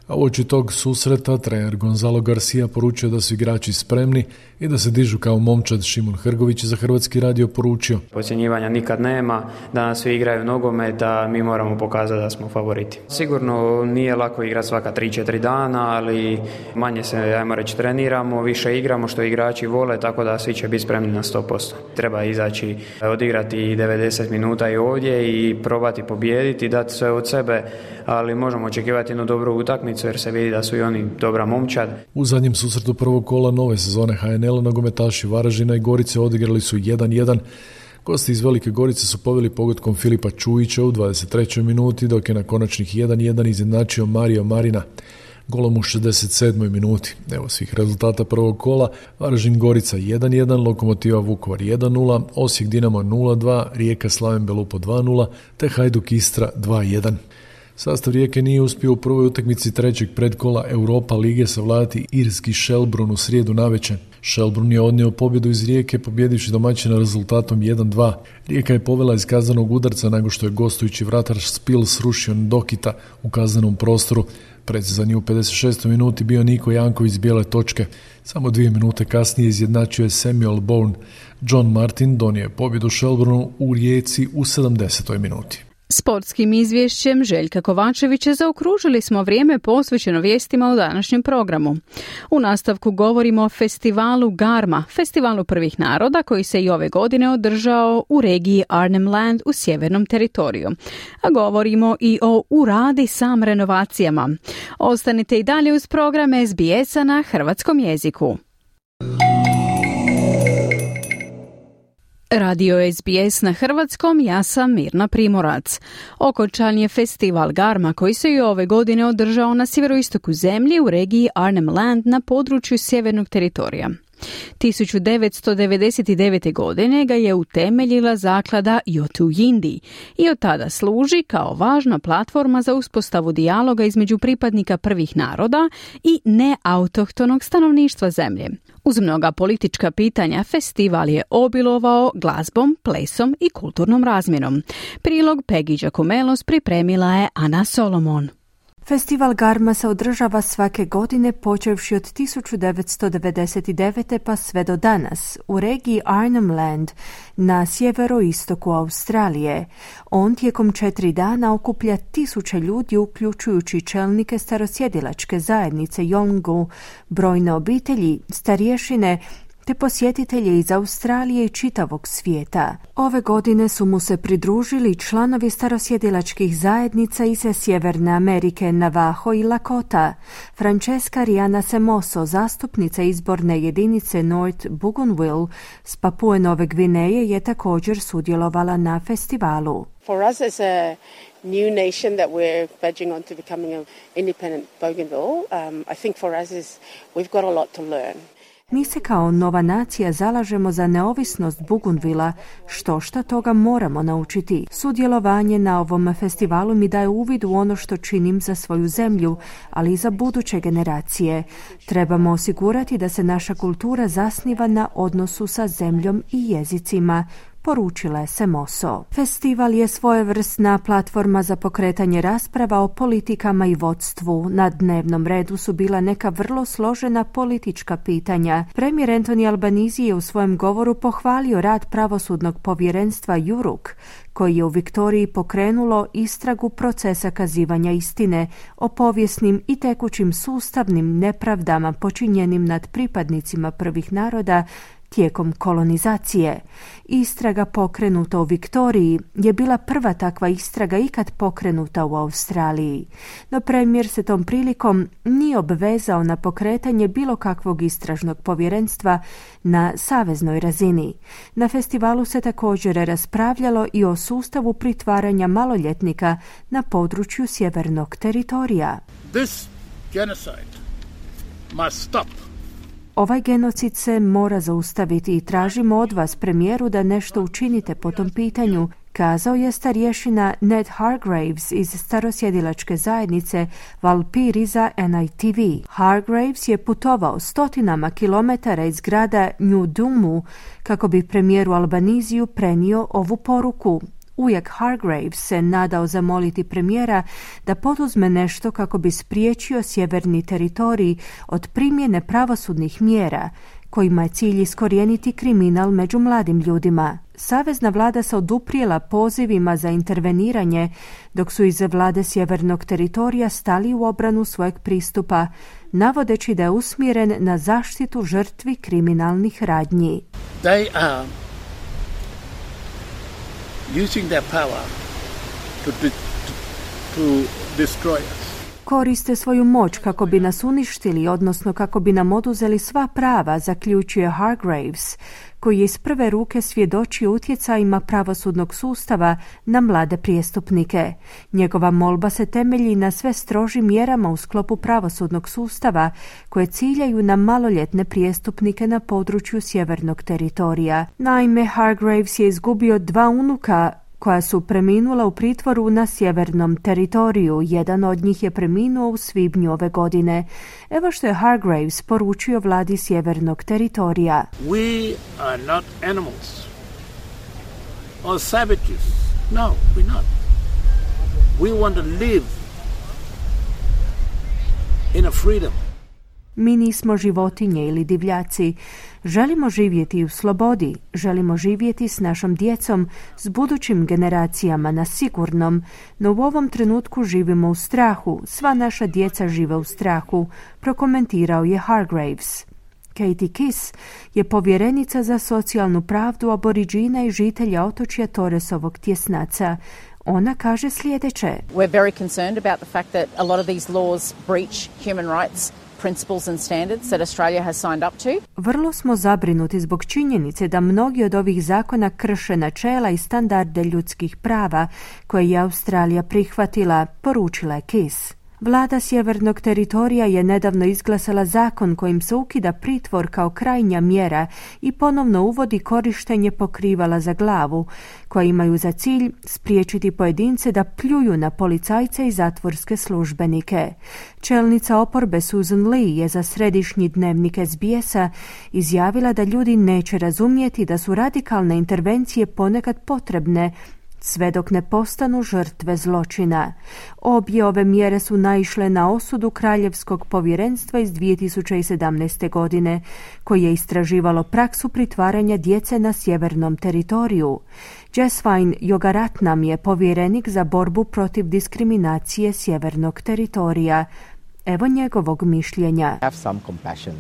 A uoči tog susreta trener Gonzalo Garcia poručio da su igrači spremni i da se dižu kao momčad. Šimun Hrgović za Hrvatski radio poručio: Podcjenjivanja nikad nema, danas svi igraju nogomet, da mi moramo pokazati da smo favoriti. Sigurno nije lako igrati svaka tri četiri dana, ali manje se, ajmo reći, treniramo, više igramo što igrači vole, tako da svi će biti spremni na sto posto. Treba izaći, odigrati devedeset minuta i ovdje i probati pobijediti, dati sve od sebe, ali možemo očekivati jednu dobru utakmicu jer se vidi da su i oni dobra momčad. U zadnjem susretu prvog kola nove sezone H N L-a nogometaši Varaždina i Gorice odigrali su jedan jedan. Gosti iz Velike Gorice su poveli pogodkom Filipa Čujića u dvadeset trećoj minuti, dok je na konačnih jedan jedan izjednačio Mario Marina golom u šezdeset sedmoj minuti. Evo svih rezultata prvog kola: Varaždin Gorica jedan jedan, Lokomotiva Vukovar jedan nula, Osijek Dinamo nula dva, Rijeka Slaven Belupo dva nula, te Hajduk Istra dva jedan. Sastav Rijeke nije uspio u prvoj utakmici trećeg predkola Europa lige savladati irski Shelbourne u srijedu navečer. Shelbourne je odnio pobjedu iz Rijeke pobjedivši domaćina rezultatom jedan dva. Rijeka je povela iz kaznenog udarca nakon što je gostujući vratar Spil srušio Dokita u kaznenom prostoru. Precizan je u pedeset šestoj minuti bio Niko Janković s bijele točke. Samo dvije minute kasnije izjednačio je Samuel Bourne. John Martin donio je pobjedu Shelbourneu u Rijeci u sedamdesetoj minuti. Sportskim izvješćem Željka Kovačevića zaokružili smo vrijeme posvećeno vijestima u današnjem programu. U nastavku govorimo o festivalu Garma, festivalu prvih naroda koji se i ove godine održao u regiji Arnhem Land u sjevernom teritoriju. A govorimo i o uradi sam renovacijama. Ostanite i dalje uz program S B S-a na hrvatskom jeziku. Radio S B S na hrvatskom, ja sam Mirna Primorac. Okončan je festival Garma koji se i ove godine održao na sjeveroistoku zemlje u regiji Arnhem Land na području sjevernog teritorija. tisuću devetsto devedeset devete. godine ga je utemeljila zaklada Yotu Yindi i od tada služi kao važna platforma za uspostavu dijaloga između pripadnika prvih naroda i neautohtonog stanovništva zemlje. Uz mnoga politička pitanja, festival je obilovao glazbom, plesom i kulturnom razmjenom. Prilog Peggy Giacomelos pripremila je Ana Solomon. Festival Garma se održava svake godine počevši od tisuću devetsto devedeset devete. pa sve do danas u regiji Arnhem Land na sjeveroistoku Australije. On tijekom četiri dana okuplja tisuće ljudi uključujući čelnike starosjedilačke zajednice Yolngu, brojne obitelji, starješine te posjetitelje iz Australije i čitavog svijeta. Ove godine su mu se pridružili članovi starosjedilačkih zajednica iz Sjeverne Amerike, Navajo i Lakota. Francesca Riana Semoso, zastupnica izborne jedinice North Bougainville s Papue Nove Gvineje, je također sudjelovala na festivalu. For us as a new nation that we're verging on to becoming an independent Bougainville, um, I think for us is we've got a lot to learn. Mi se kao nova nacija zalažemo za neovisnost Bougainvillea, što šta toga moramo naučiti. Sudjelovanje na ovom festivalu mi daje uvid u ono što činim za svoju zemlju, ali i za buduće generacije. Trebamo osigurati da se naša kultura zasniva na odnosu sa zemljom i jezicima, poručila je Semoso. Festival je svojevrsna platforma za pokretanje rasprava o politikama i vodstvu. Na dnevnom redu su bila neka vrlo složena politička pitanja. Premijer Anthony Albanese je u svojem govoru pohvalio rad pravosudnog povjerenstva Juruk, koji je u Viktoriji pokrenulo istragu procesa kazivanja istine o povijesnim i tekućim sustavnim nepravdama počinjenim nad pripadnicima prvih naroda tijekom kolonizacije. Istraga pokrenuta u Viktoriji je bila prva takva istraga ikad pokrenuta u Australiji. No premijer se tom prilikom nije obvezao na pokretanje bilo kakvog istražnog povjerenstva na saveznoj razini. Na festivalu se također raspravljalo i o sustavu pritvaranja maloljetnika na području sjevernog teritorija. This genocide must stop. Ovaj genocid se mora zaustaviti i tražimo od vas, premijeru, da nešto učinite po tom pitanju, kazao je starješina Ned Hargraves iz starosjedilačke zajednice Valpiri za N I T V. Hargraves je putovao stotinama kilometara iz grada New Dumu kako bi premijeru Albaniziju prenio ovu poruku. Ujak Hargraves se nadao zamoliti premijera da poduzme nešto kako bi spriječio sjeverni teritorij od primjene pravosudnih mjera, kojima je cilj iskorijeniti kriminal među mladim ljudima. Savezna vlada se oduprijela pozivima za interveniranje, dok su iz vlade sjevernog teritorija stali u obranu svojeg pristupa, navodeći da je usmjeren na zaštitu žrtvi kriminalnih radnji. They are using their power to, to, to destroy us. Koriste svoju moć kako bi nas uništili, odnosno kako bi nam oduzeli sva prava, zaključuje Hargraves, koji je iz prve ruke svjedočio utjecajima pravosudnog sustava na mlade prijestupnike. Njegova molba se temelji na sve strožim mjerama u sklopu pravosudnog sustava koje ciljaju na maloljetne prijestupnike na području sjevernog teritorija. Naime, Hargraves je izgubio dva unuka koja su preminula u pritvoru na sjevernom teritoriju. Jedan od njih je preminuo u svibnju ove godine. Evo što je Hargraves poručio vladi sjevernog teritorija. We are not animals or savages. No, we're not. We want to live in a freedom. Mi nismo životinje ili divljaci. Želimo živjeti u slobodi, želimo živjeti s našom djecom, s budućim generacijama na sigurnom, no u ovom trenutku živimo u strahu, sva naša djeca žive u strahu, prokomentirao je Hargraves. Katie Kiss je povjerenica za socijalnu pravdu aboriđina i žitelja otočja Torresovog tjesnaca. Ona kaže sljedeće. We're very concerned about the fact that a lot of these laws breach human rights principles and standards that Australia has signed up to. Vrlo smo zabrinuti zbog činjenice da mnogi od ovih zakona krše načela i standarde ljudskih prava koje je Australija prihvatila, poručila je Kiss. Vlada sjevernog teritorija je nedavno izglasala zakon kojim se ukida pritvor kao krajnja mjera i ponovno uvodi korištenje pokrivala za glavu, koja imaju za cilj spriječiti pojedince da pljuju na policajce i zatvorske službenike. Čelnica oporbe Susan Lee je za središnji dnevnik S B S-a izjavila da ljudi neće razumjeti da su radikalne intervencije ponekad potrebne, sve dok ne postanu žrtve zločina. Obje ove mjere su naišle na osudu Kraljevskog povjerenstva iz dvije tisuće sedamnaeste. godine, koje je istraživalo praksu pritvaranja djece na sjevernom teritoriju. Jesvine Yogaratnam je povjerenik za borbu protiv diskriminacije sjevernog teritorija. Evo njegovog mišljenja. Have some compassion,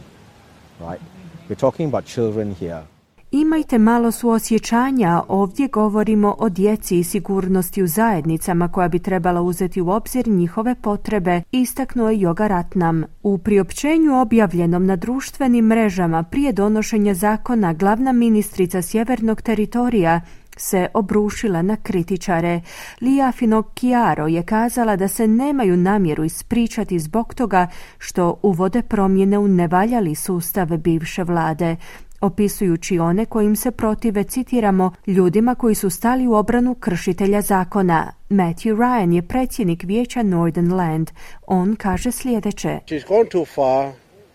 right? We're talking about children here. Imajte malo suosjećanja, ovdje govorimo o djeci i sigurnosti u zajednicama koja bi trebala uzeti u obzir njihove potrebe, istaknuo je Yogaratnam. U priopćenju objavljenom na društvenim mrežama prije donošenja zakona, glavna ministrica sjevernog teritorija se obrušila na kritičare. Lia Finocchiaro je kazala da se nemaju namjeru ispričati zbog toga što uvode promjene u nevaljali sustav bivše vlade, opisujući one kojim se protive, citiramo, ljudima koji su stali u obranu kršitelja zakona. Matthew Ryan je predsjednik vijeća Northern Land. On kaže sljedeće. She's gone too far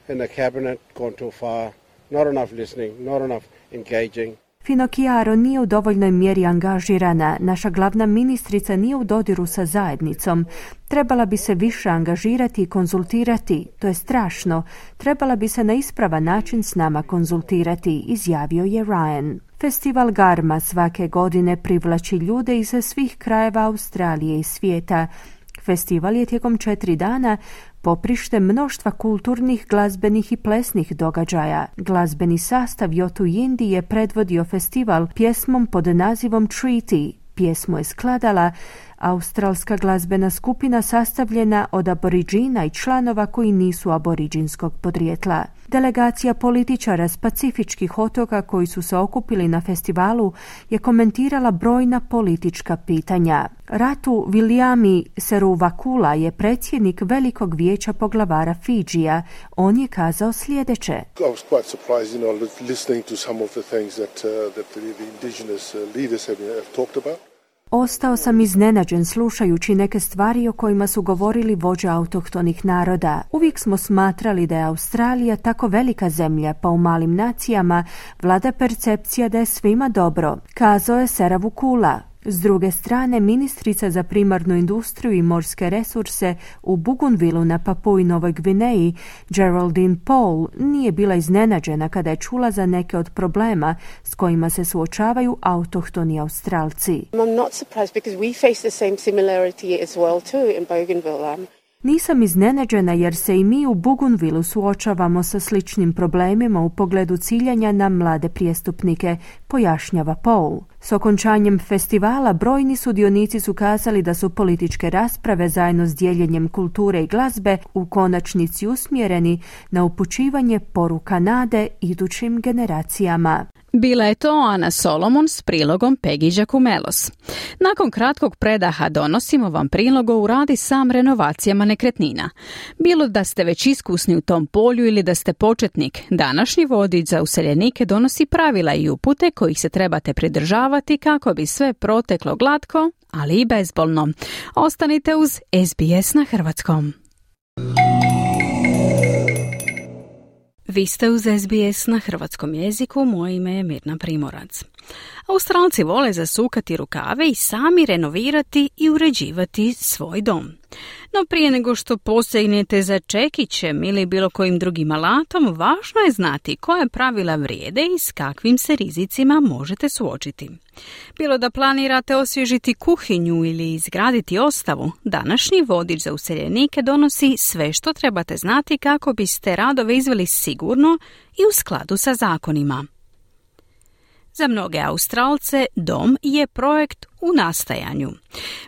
in the cabinet, gone too far, not enough listening, not enough engaging. Finocchiaro nije u dovoljnoj mjeri angažirana. Naša glavna ministrica nije u dodiru sa zajednicom. Trebala bi se više angažirati i konzultirati. To je strašno. Trebala bi se na ispravan način s nama konzultirati, izjavio je Ryan. Festival Garma svake godine privlači ljude iz svih krajeva Australije i svijeta. Festival je tijekom četiri dana poprište mnoštva kulturnih, glazbenih i plesnih događaja. Glazbeni sastav Yotu Yindi je predvodio festival pjesmom pod nazivom Treaty. Pjesmu je skladala australska glazbena skupina sastavljena od aboriđina i članova koji nisu aboriđinskog podrijetla. Delegacija političara s pacifičkih otoka koji su se okupili na festivalu je komentirala brojna politička pitanja. Ratu Viliami Seruvakula je predsjednik Velikog vijeća poglavara Fidžija. On je kazao sljedeće. I was quite surprised, you know, listening to some of the things that, uh, that the, the indigenous leaders have, have talked about. Ostao sam iznenađen slušajući neke stvari o kojima su govorili vođe autohtonih naroda. Uvijek smo smatrali da je Australija tako velika zemlja, pa u malim nacijama vlada percepcija da je svima dobro, kazao je Seruvakula. S druge strane, ministrica za primarnu industriju i morske resurse u Bougainvilleu na Papui Novoj Gvineji, Geraldine Paul, nije bila iznenađena kada je čula za neke od problema s kojima se suočavaju autohtoni Australci. I'm not surprised because we face the same similarity as well too in Bougainville. Um... Nisam iznenađena jer se i mi u Bougainvilleu suočavamo sa sličnim problemima u pogledu ciljanja na mlade prijestupnike, pojašnjava Paul. S okončanjem festivala brojni sudionici su kazali da su političke rasprave zajedno s dijeljenjem kulture i glazbe u konačnici usmjereni na upućivanje poruka nade idućim generacijama. Bila je to Ana Solomon s prilogom Peggy Giacomelos. Nakon kratkog predaha donosimo vam prilog o Radi Sam renovacijama nekretnina. Bilo da ste već iskusni u tom polju ili da ste početnik, današnji vodič za useljenike donosi pravila i upute kojih se trebate pridržavati kako bi sve proteklo glatko, ali i bezbolno. Ostanite uz S B S na hrvatskom. Vi ste uz S B S na hrvatskom jeziku, moje ime je Mirna Primorac. Australci vole zasukati rukave i sami renovirati i uređivati svoj dom. No prije nego što posegnete za čekićem ili bilo kojim drugim alatom, važno je znati koja pravila vrijede i s kakvim se rizicima možete suočiti. Bilo da planirate osvježiti kuhinju ili izgraditi ostavu, današnji vodič za useljenike donosi sve što trebate znati kako biste radove izveli sigurno i u skladu sa zakonima. Za mnoge Australce dom je projekt u nastajanju.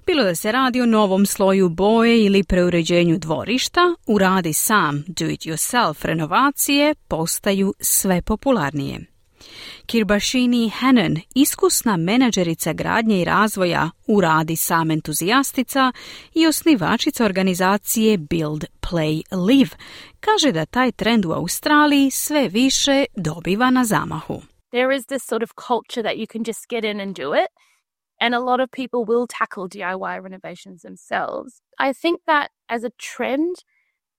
Bilo da se radi o novom sloju boje ili preuređenju dvorišta, u Radi Sam do-it-yourself renovacije postaju sve popularnije. Kirbashini Hannon, iskusna menadžerica gradnje i razvoja u Radi Sam entuzijastica i osnivačica organizacije Build, Play, Live, kaže da taj trend u Australiji sve više dobiva na zamahu. There is this sort of culture that you can just get in and do it, and a lot of people will tackle D I Y renovations themselves. I think that as a trend,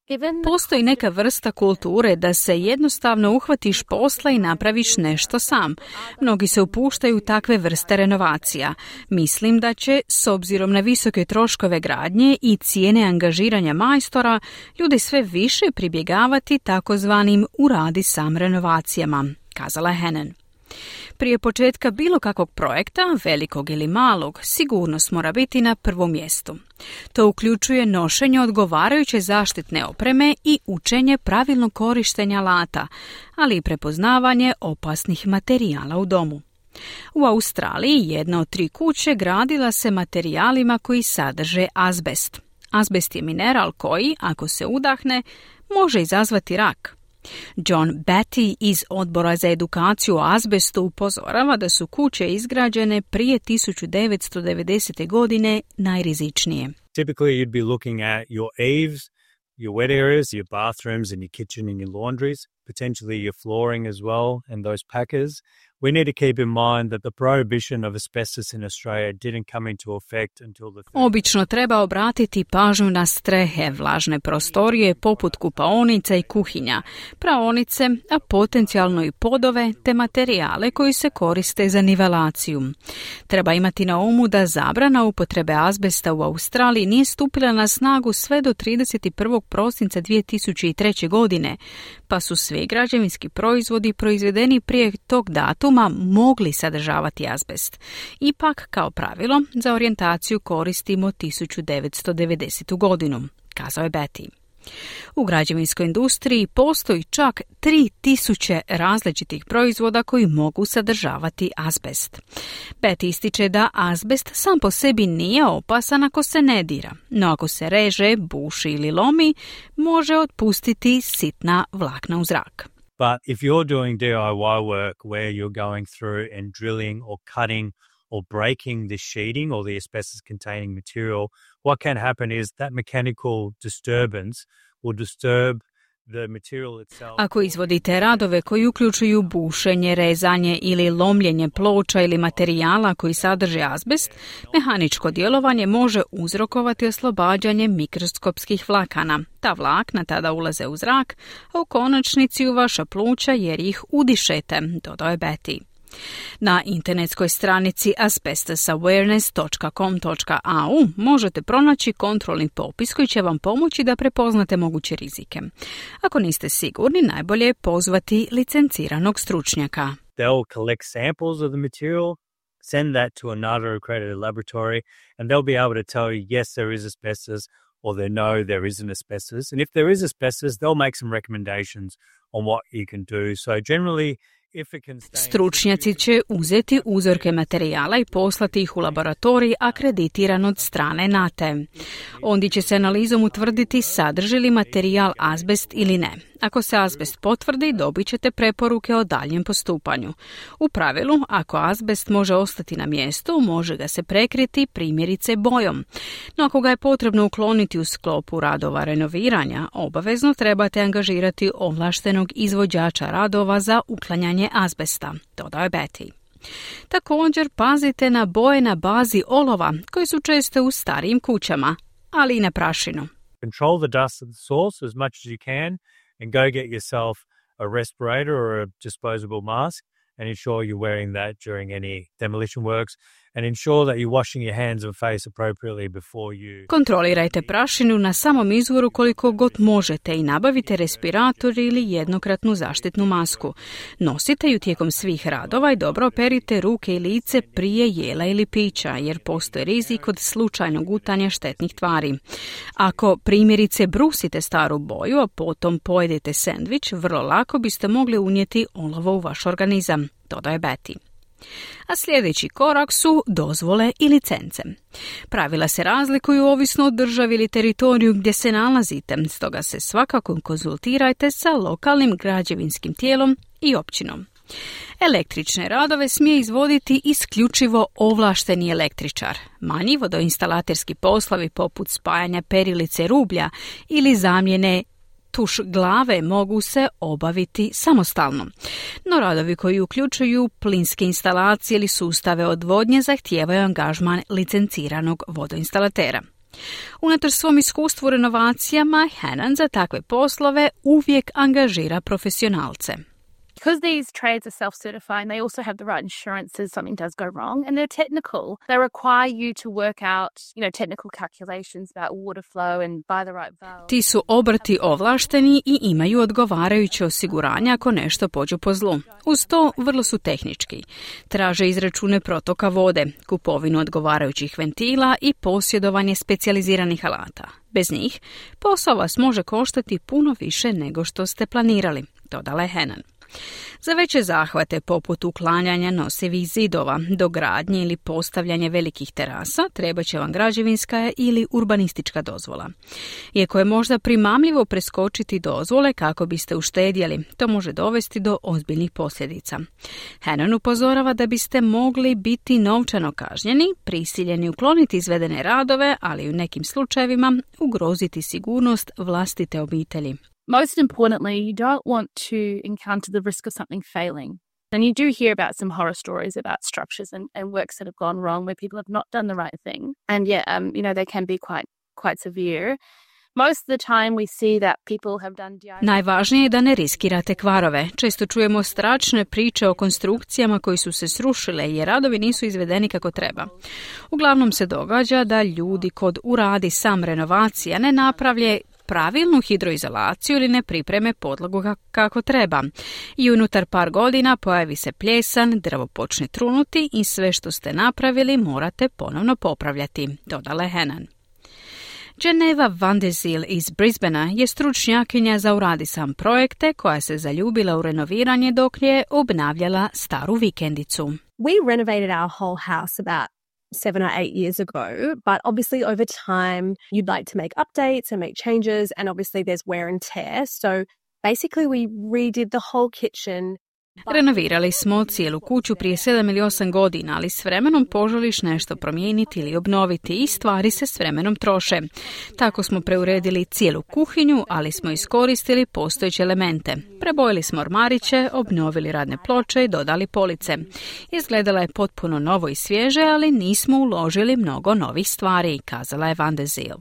given Postoji neka vrsta kulture da se jednostavno uhvatiš posla i napraviš nešto sam. Mnogi se upuštaju u takve vrste renovacija. Mislim da će, s obzirom na visoke troškove gradnje i cijene angažiranja majstora, ljudi sve više pribjegavati takozvanim uradi sam renovacijama, kazala je Hannon. Prije početka bilo kakvog projekta, velikog ili malog, sigurnost mora biti na prvom mjestu. To uključuje nošenje odgovarajuće zaštitne opreme i učenje pravilnog korištenja alata, ali i prepoznavanje opasnih materijala u domu. U Australiji jedna od tri kuće gradila se materijalima koji sadrže azbest. Azbest je mineral koji, ako se udahne, može izazvati rak. John Batty iz Odbora za edukaciju o azbestu upozorava da su kuće izgrađene prije tisuću devetsto devedesete. godine najrizičnije. Typically you'd be looking at your eaves, your wet areas, your bathrooms and your kitchen and your laundries, potentially your flooring as well and those packers. We need to keep in mind that the prohibition of asbestos in Australia didn't come into effect until the... Obično treba obratiti pažnju na strehe, vlažne prostorije poput kupaonica i kuhinja, praonice, a potencijalno i podove te materijale koji se koriste za nivelaciju. Treba imati na umu da zabrana upotrebe azbesta u Australiji nije stupila na snagu sve do trideset prvog prosinca dvije tisuće treće. godine, pa su svi građevinski proizvodi proizvedeni prije tog datuma mogli sadržavati azbest. Ipak, kao pravilo, za orijentaciju koristimo tisuću devetsto devedesetu. godinu, kazao je Betty. U građevinskoj industriji postoji čak tri tisuće različitih proizvoda koji mogu sadržavati azbest. Betty ističe da azbest sam po sebi nije opasan ako se ne dira, no ako se reže, buši ili lomi, može otpustiti sitna vlakna u zrak. But if you're doing D I Y work where you're going through and drilling or cutting or breaking the sheeting or the asbestos-containing material, what can happen is that mechanical disturbance will disturb the material itself. Ako izvodite radove koji uključuju bušenje, rezanje ili lomljenje ploča ili materijala koji sadrže azbest, mehaničko djelovanje može uzrokovati oslobađanje mikroskopskih vlakana. Ta vlakna tada ulaze u zrak, a u konačnici u vaša pluća jer ih udišete, dodao je Betty. Na internetskoj stranici asbestos awareness dot com dot a u možete pronaći kontrolni popis koji će vam pomoći da prepoznate moguće rizike. Ako niste sigurni, najbolje je pozvati licenciranog stručnjaka. They'll collect samples of the material, send that to another accredited laboratory, and they'll be able to tell you, yes, there is asbestos, or they know there isn't asbestos. And if there is asbestos, they'll make some recommendations on what you can do. So generally, stručnjaci će uzeti uzorke materijala i poslati ih u laboratorij akreditiran od strane N A T E. Ondje će se analizom utvrditi sadrži li materijal azbest ili ne. Ako se azbest potvrdi, dobit ćete preporuke o daljem postupanju. U pravilu, ako azbest može ostati na mjestu, može ga se prekriti primjerice bojom. No ako ga je potrebno ukloniti u sklopu radova renoviranja, obavezno trebate angažirati ovlaštenog izvođača radova za uklanjanje azbesta, dodao je Betty. Također pazite na boje na bazi olova, koji su često u starijim kućama, ali i na prašinu. Control the dust at the source as much as you can and go get yourself a respirator or a disposable mask and ensure you're wearing that during any demolition works. And ensure that you're washing your hands and face appropriately before you... Kontrolirajte prašinu na samom izvoru koliko god možete i nabavite respirator ili jednokratnu zaštitnu masku. Nosite ju tijekom svih radova i dobro operite ruke i lice prije jela ili pića, jer postoji rizik od slučajnog gutanja štetnih tvari. Ako primjerice brusite staru boju, a potom pojedete sendvič, vrlo lako biste mogli unijeti olovo u vaš organizam, dodaje Betty. A sljedeći korak su dozvole i licence. Pravila se razlikuju ovisno od državi ili teritoriju gdje se nalazite, stoga se svakako konzultirajte sa lokalnim građevinskim tijelom i općinom. Električne radove smije izvoditi isključivo ovlašteni električar. Manji vodoinstalaterski poslovi poput spajanja perilice rublja ili zamjene tuš glave mogu se obaviti samostalno. No radovi koji uključuju plinske instalacije ili sustave odvodnje zahtijevaju angažman licenciranog vodoinstalatera. Unatoč svom iskustvu u renovacijama, Hannan za takve poslove uvijek angažira profesionalce. Because these trades are self-certifying, they also have the right insurance if something does go wrong, and they're technical. They require you to work out, you know, technical calculations about water flow and buy the right valve. Ti su obrti ovlašteni i imaju odgovarajuće osiguranje ako nešto pođe po zlu. Uz to vrlo su tehnički. Traže izračune protoka vode, kupovinu odgovarajućih ventila i posjedovanje specijaliziranih alata. Bez njih posao vas može koštati puno više nego što ste planirali, dodala je Hannan. Za veće zahvate poput uklanjanja nosivih zidova, dogradnje ili postavljanje velikih terasa treba će vam građevinska ili urbanistička dozvola. Iako je možda primamljivo preskočiti dozvole kako biste uštedjeli, to može dovesti do ozbiljnih posljedica. Hannan upozorava da biste mogli biti novčano kažnjeni, prisiljeni ukloniti izvedene radove, ali u nekim slučajevima ugroziti sigurnost vlastite obitelji. Most importantly, you don't want to encounter the risk of something failing. And you do hear about some horror stories about structures and, and works that have gone wrong where people have not done the right thing. And yeah, um, you know, they can be quite, quite severe. Most of the time we see that people have done D I Y. Najvažnije je da ne riskirate kvarove. Često čujemo strašne priče o konstrukcijama koji su se srušile jer radovi nisu izvedeni kako treba. Uglavnom se događa da ljudi kod uradi sam renovacija ne napravlje pravilnu hidroizolaciju ili ne pripreme podlogu kako treba. I unutar par godina pojavi se pljesan, drvo počne trunuti i sve što ste napravili morate ponovno popravljati, dodala je Hannan. Geneva van de Zyl iz Brisbanea je stručnjakinja za Uradi sam projekte koja se zaljubila u renoviranje dok je obnavljala staru vikendicu. We renovated our whole house about seven or eight years ago, but obviously over time you'd like to make updates and make changes, and obviously there's wear and tear. So basically we redid the whole kitchen. Renovirali smo cijelu kuću prije sedam ili osam godina, ali s vremenom poželiš nešto promijeniti ili obnoviti i stvari se s vremenom troše. Tako smo preuredili cijelu kuhinju, ali smo iskoristili postojeće elemente. Prebojili smo ormariće, obnovili radne ploče i dodali police. Izgledala je potpuno novo i svježe, ali nismo uložili mnogo novih stvari, kazala je van de Zyl.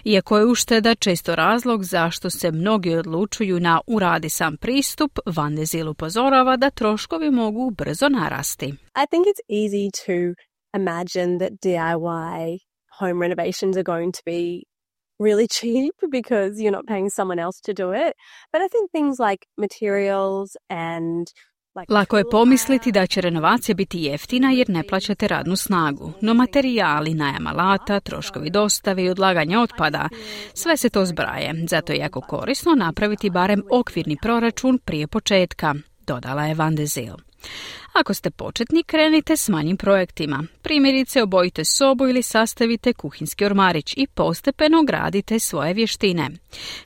Iako je ušteda često razlog zašto se mnogi odlučuju na uradi sam pristup, van de Zyl upozorava da troškovi mogu brzo narasti. I think it's easy to imagine that D I Y home renovations are going to be really cheap because you're not paying someone else to do it. But I think things like materials and Lako je pomisliti da će renovacija biti jeftina jer ne plaćate radnu snagu, no materijali, najam alata, troškovi dostave i odlaganja otpada, sve se to zbraje, zato je jako korisno napraviti barem okvirni proračun prije početka, dodala je van de Zyl. Ako ste početnik, krenite s manjim projektima. Primjerice, obojite sobu ili sastavite kuhinski ormarić i postepeno gradite svoje vještine.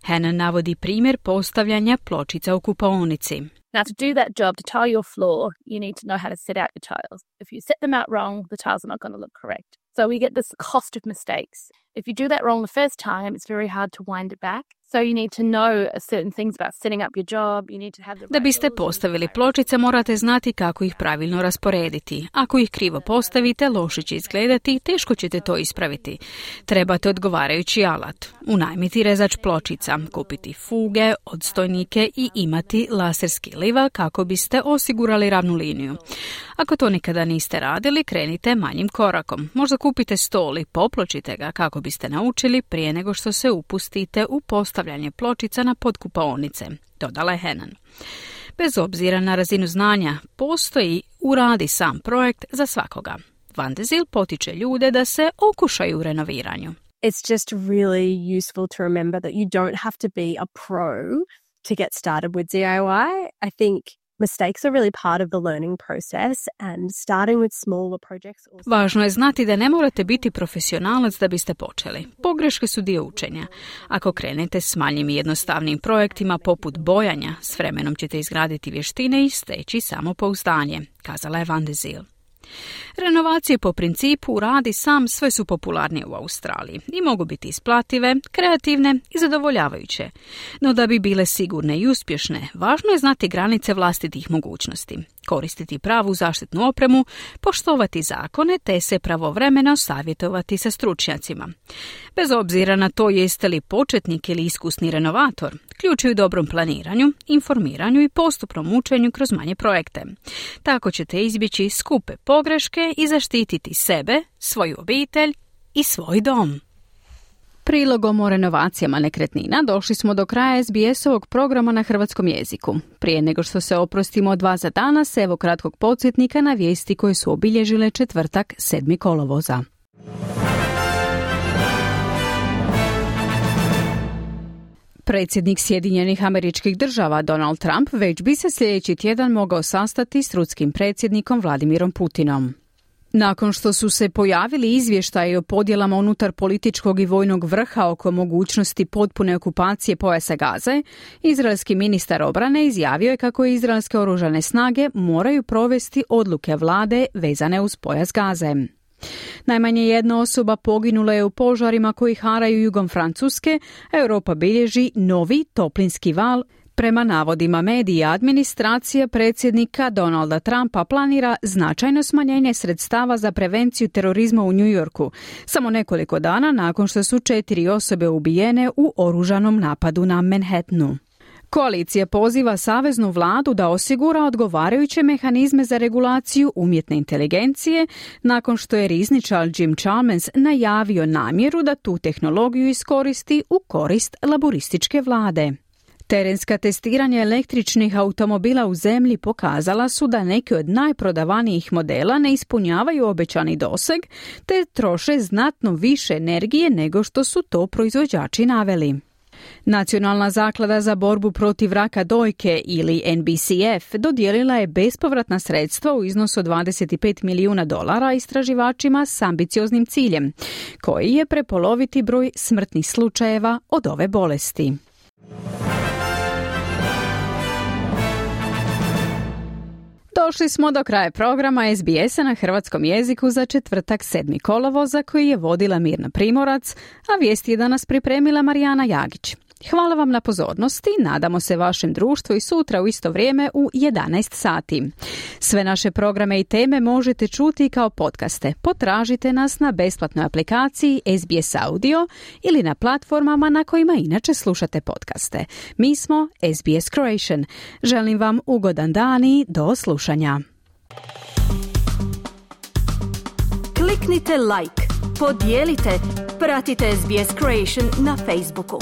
Hannon navodi primjer postavljanja pločica u kupaonici. Now, to do that job, to tile your floor, you need to know how to set out your tiles. If you set them out wrong, the tiles are not going to look correct. So we get this cost of mistakes. If you do that wrong the first time, it's very hard to wind it back. So you need to know certain things about setting up your job. You need to have the right. Da biste postavili pločice, morate znati kako ih pravilno rasporediti. Ako ih krivo postavite, loše će izgledati i teško ćete to ispraviti. Trebate odgovarajući alat. Unajmiti rezač pločica, kupiti fuge, odstojnike i imati laserski liva kako biste osigurali ravnu liniju. Ako to nikada niste radili, krenite manjim korakom. Možda kupite stol i popločite ga kako biste naučili prije nego što se upustite u postavljanje pločica na podkupaonice, dodala je Hannon. Bez obzira na razinu znanja, postoji uradi sam projekt za svakoga. Van de Zyl potiče ljude da se okušaju u renoviranju. It's just really useful to remember that you don't have to be a pro to get started with D I Y. I think mistakes are really part of the learning process and starting with smaller projects. Also... Važno je znati da ne morate biti profesionalac da biste počeli. Pogreške su dio učenja. Ako krenete s manjim i jednostavnim projektima poput bojanja, s vremenom ćete izgraditi vještine i steći samopouzdanje, kazala je van de Zyl. Renovacije po principu radi sam sve su popularnije u Australiji i mogu biti isplative, kreativne i zadovoljavajuće. No da bi bile sigurne i uspješne, važno je znati granice vlastitih mogućnosti, koristiti pravu zaštitnu opremu, poštovati zakone te se pravovremeno savjetovati sa stručnjacima. Bez obzira na to jeste li početnik ili iskusni renovator, ključ je u dobrom planiranju, informiranju i postupnom učenju kroz manje projekte. Tako ćete izbjeći skupe pogreške i zaštititi sebe, svoju obitelj i svoj dom. Prilogom o renovacijama nekretnina došli smo do kraja S B S-ovog programa na hrvatskom jeziku. Prije nego što se oprostimo od vas za danas, evo kratkog podsjetnika na vijesti koje su obilježile četvrtak sedmog kolovoza. Predsjednik Sjedinjenih Američkih Država Donald Trump već bi se sljedeći tjedan mogao sastati s ruskim predsjednikom Vladimirom Putinom. Nakon što su se pojavili izvještaji o podjelama unutar političkog i vojnog vrha oko mogućnosti potpune okupacije pojasa Gaze, izraelski ministar obrane izjavio je kako izraelske oružane snage moraju provesti odluke vlade vezane uz pojas Gaze. Najmanje jedna osoba poginula je u požarima koji haraju jugom Francuske, a Europa bilježi novi toplinski val. Prema navodima medija, administracija predsjednika Donalda Trumpa planira značajno smanjenje sredstava za prevenciju terorizma u New Yorku, samo nekoliko dana nakon što su četiri osobe ubijene u oružanom napadu na Manhattanu. Koalicija poziva saveznu vladu da osigura odgovarajuće mehanizme za regulaciju umjetne inteligencije nakon što je rizničar Jim Chalmers najavio namjeru da tu tehnologiju iskoristi u korist laborističke vlade. Terenska testiranja električnih automobila u zemlji pokazala su da neki od najprodavanijih modela ne ispunjavaju obećani doseg, te troše znatno više energije nego što su to proizvođači naveli. Nacionalna zaklada za borbu protiv raka dojke ili N B C F dodijelila je bespovratna sredstva u iznosu od dvadeset pet milijuna dolara istraživačima s ambicioznim ciljem, koji je prepoloviti broj smrtnih slučajeva od ove bolesti. Došli smo do kraja programa S B S-a na hrvatskom jeziku za četvrtak sedmi kolovoza koji je vodila Mirna Primorac, a vijesti je danas pripremila Marijana Jagić. Hvala vam na pozornosti, nadamo se vašem društvu i sutra u isto vrijeme u jedanaest sati. Sve naše programe i teme možete čuti kao podcaste. Potražite nas na besplatnoj aplikaciji S B S Audio ili na platformama na kojima inače slušate podcaste. Mi smo S B S Croatian. Želim vam ugodan dan i do slušanja. Kliknite like, podijelite, pratite S B S Croatian na Facebooku.